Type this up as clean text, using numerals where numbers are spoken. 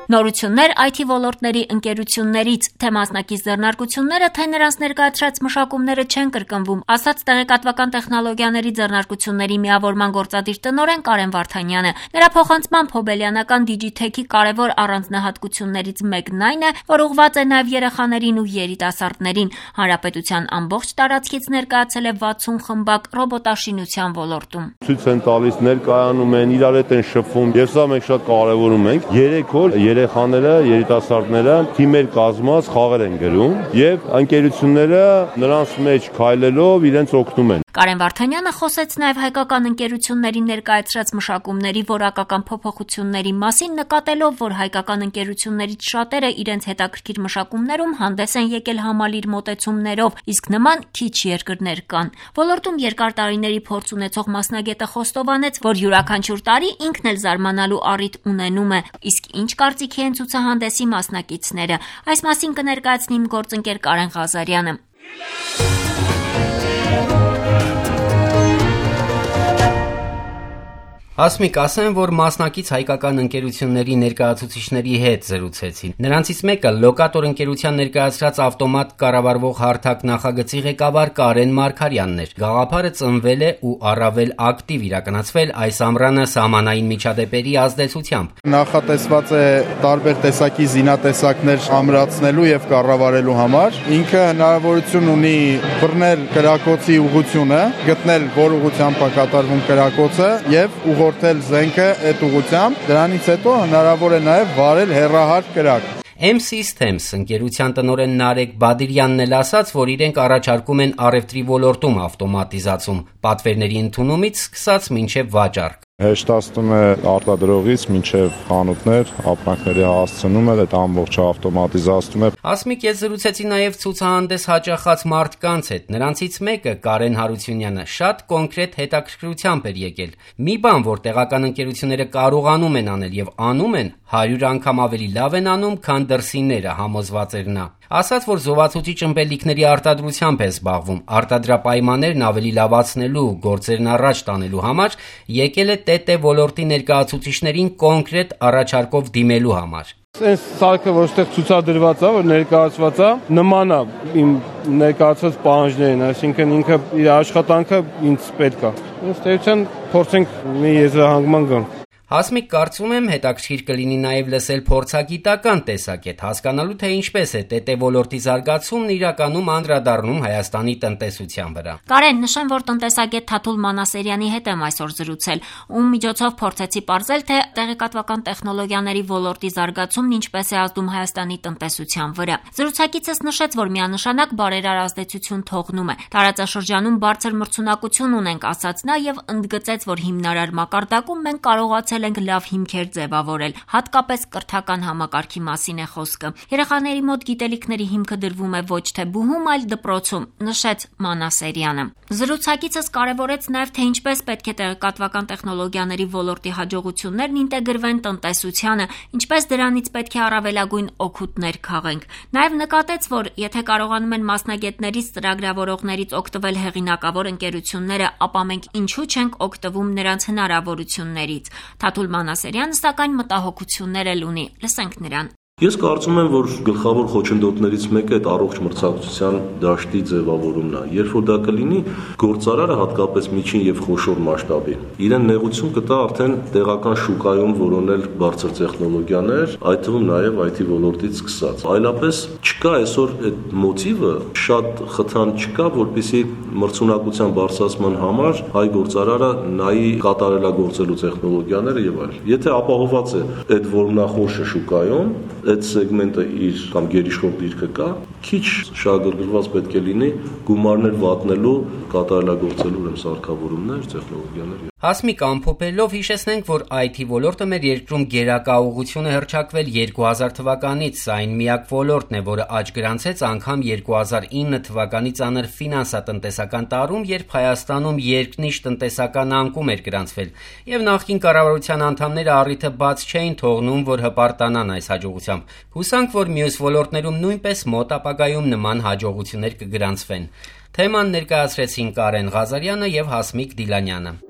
Նորություններ IT ոլորտների ընկերություններից, թե մասնակից ձեռնարկությունները, թե նրանց ներկայացրած մշակումները չեն կրկնվում, ասաց տեղեկատվական տեխնոլոգիաների ձեռնարկությունների միավորման գործադիր տնօրեն Կարեն Վարդանյանը։ Նրա փոխանցմամբ հոբելյանական Digitech-ի կարևոր առանձնահատկություններից մեկն այն է, որ ուղղված է նաև երեխաներին ու երիտասարդներին։ Հանրապետության ամբողջ տարածքից ներկայացել է 60 խմբակ ռոբոտաշինության ոլորտում։ Ցույց են տալիս, ներկայանում են, իրար հետ են շփվում, եւ սա մենք շատ կարևորում ենք։ 3 օր երեխաները, երիտասարդները թիմեր կազմած խաղեր են գրում եւ ընկերությունները նրանց մեջ քայլելով իրենց օգնում են։ Կարեն Վարդանյանը խոսեց նաև հայկական ընկերությունների ներկայացրած մշակումների որակական փոփոխությունների մասին, նկատելով, որ հայկական ընկերություններից շատերը իրենց հետաքրքիր մշակումներում հանդես են եկել համալիր մոտեցումներով, իսկ նման քիչ երկրներ կան։ Ոլորտում երկար տարիների փորձ ունեցող մասնագետը խոստովանեց, որ յուրաքանչյուր տարի ինքն էլ զարմանալու առիթ ունենում է, իսկ ինչ կարծիքի են ցուցահանդեսի մասնակիցները։ Այս մասին կներկայացնի իմ գործընկեր Կարեն Ղազարյանը։ Հասմիկ, ասեմ, որ մասնակից հայկական ընկերությունների ներկայացուցիչների հետ զրուցեցին։ Նրանցից մեկը լոկատոր ընկերության ներկայացրած ավտոմատ կառավարվող հարթակ նախագծի ղեկավար Կարեն Մարգարյանն էր։ Գաղափարը ծնվել է ու առավել ակտիվ իրականացվել այս ամռանը սահմանային միջադեպերի ազդեցությամբ։ Նախատեսված է տարբեր տեսակի զինատեսակներ ամրացնելու եւ կառավարելու համար։ Ինքը հնարավորություն ունի բռնել կրակոցի ուղղությունը, գտնել որ ուղղությամբ է կատարվում կրակոցը եւ ուղղորդել զենքը այդ ուղղությամբ, դրանից հետո հնարավոր է նաև վարել հեռահար կրակ։ M-Systems ընկերության տնօրեն Նարեկ Բադիրյանն էլ ասաց, որ իրենք առաջարկում են առևտրի ոլորտում ավտոմատիզացում, պատվերների ընդունումից սկսած մինչև վաճառք։ Հեշտացնում է արտադրողից մինչև խանութներ, ապրանքների հասցնումը, այդ ամբողջը ավտոմատիզացնում է։ Հասմիկ, ես զրուցեցի նաև ցուցահանդես հաճախած մարդկանց հետ։ Նրանցից մեկը Կարեն Հարությունյանը շատ կոնկրետ հետաքրքրությամբ էր եկել։ Մի բան, որ տեղական ընկերությունները կարողանում են անել եւ անում են, 100 անգամ ավելի լավ են անում, քան դրսինները, համոզված էր նա։ Ասաց, որ զովացուցիչ ըմպելիքների արտադրությամբ է զբաղվում, արտադրապայմաններն ավելի լավացնելու, գործերն առաջ տանելու համար եկել է ՏՏ ոլորտի ներկայացուցիչներին կոնկրետ առաջարկով դիմելու համար։ Այս սարքը, որ այստեղ ցուցադրված է, որ ներկայացված է, նման է իմ ներկայացված պահանջներին, այսինքն ինքը իր աշխատանքը ինձ պետք է։ Ըստ էության փորձենք մի եզրահանգման գանք։ Հասմիկ, կարծում եմ հետաքրքիր կլինի նաև լսել փորձագիտական տեսակետ, հասկանալու թե ինչպես է ՏՏ ոլորտի զարգացումն իրականում անդրադառնում Հայաստանի տնտեսության վրա։ Կարեն, նշեմ, որ տնտեսագետ Թաթուլ Մանասերյանի հետ եմ այսօր զրուցել, ում միջոցով փորձեցի պարզել, թե տեղեկատվական տեխնոլոգիաների ոլորտի զարգացումն ինչպես է ազդում Հայաստանի տնտեսության վրա։ Զրուցակիցս նշեց, որ միանշանակ բարերար ազդեցություն թողնում է։ Տարածաշրջանում բարձր մրցունակություն ունենք, ասաց նա եւ ընդգծեց, որ հիմնարար մակարդակում մենք կարողացել ենք լավ հիմքեր ձևավորել, հատկապես կրթական համակարգի մասին է խոսքը։ Երեխաների մոտ գիտելիքների հիմքը դրվում է ոչ թե բուհում, այլ դպրոցում, նշեց Մանասերյանը։ Զրուցակիցս կարևորեց նաև, թե ինչպես պետք է տեղեկատվական տեխնոլոգիաների ոլորտի հաջողություններն ինտեգրվեն տնտեսությանը, ինչպես դրանից պետք է առավելագույն օգուտներ քաղենք։ Նաև նկատեց, որ եթե կարողանում են մասնագետներից, ծրագրավորողներից օգտվել հեղինակավոր ընկերությունները, ապա մենք ինչու չենք օգտվում նրանց հնարավորություններից։ Թաթուլ Մանասերյանը սակայն մտահոգություններ էլ ունի։ Լսենք նրան։ Ես կարծում եմ, որ գլխավոր խոչընդոտներից մեկը այդ առողջ մրցակցության դաշտի ձևավորումն է։ Երբ որ դա կլինի, գործարարը հատկապես միջին եւ խոշոր մասշտաբի իրեն նեղություն կտա արդեն տեղական շուկայում որոնել բարձր տեխնոլոգիաներ, այդ թվում նաեւ IT ոլորտից սկսած։ Այլապես չկա այսօր այդ մոտիվը, շատ խթան չկա, որպեսզի մրցունակության բարձրացման համար հայ գործարարը նայի կատարելագործելու տեխնոլոգիաները եւ այլն։ Եթե ապահոված է այդ որմնախորշը շուկայում, այդ սեգմենտը իր կամ գերիշխող դիրքը կա, քիչ շահագրգռված պետք է լինի գումարներ վատնելու, կատարելագործելու ուրեմն սարքավորումներ, տեխնոլոգիաներ։ Հասմիկ, ամփոփելով հիշեցնենք, որ IT ոլորտը մեր երկրում գերակա ուղղություն է հռչակվել 2000 թվականից, սա այն միակ ոլորտն է, որը աճ գրանցեց անգամ 2009 թվականի ծանր ֆինանսատնտեսական տարում, երբ Հայաստանում երկնիշ տնտեսական անկում էր գրանցվել, եւ նախկին կառավարության անդամները առիթը բաց չէին թողնում, որ հպարտանան այս հաջողությամբ։ Հուսանք, որ մյուս ոլորտներում նույնպես մոտ ապագայում նման հաջողություններ կգրանցվեն։ Թեման ներկայացրեցին Կարեն Ղազարյանը եւ Հասմիկ Դիլանյանը։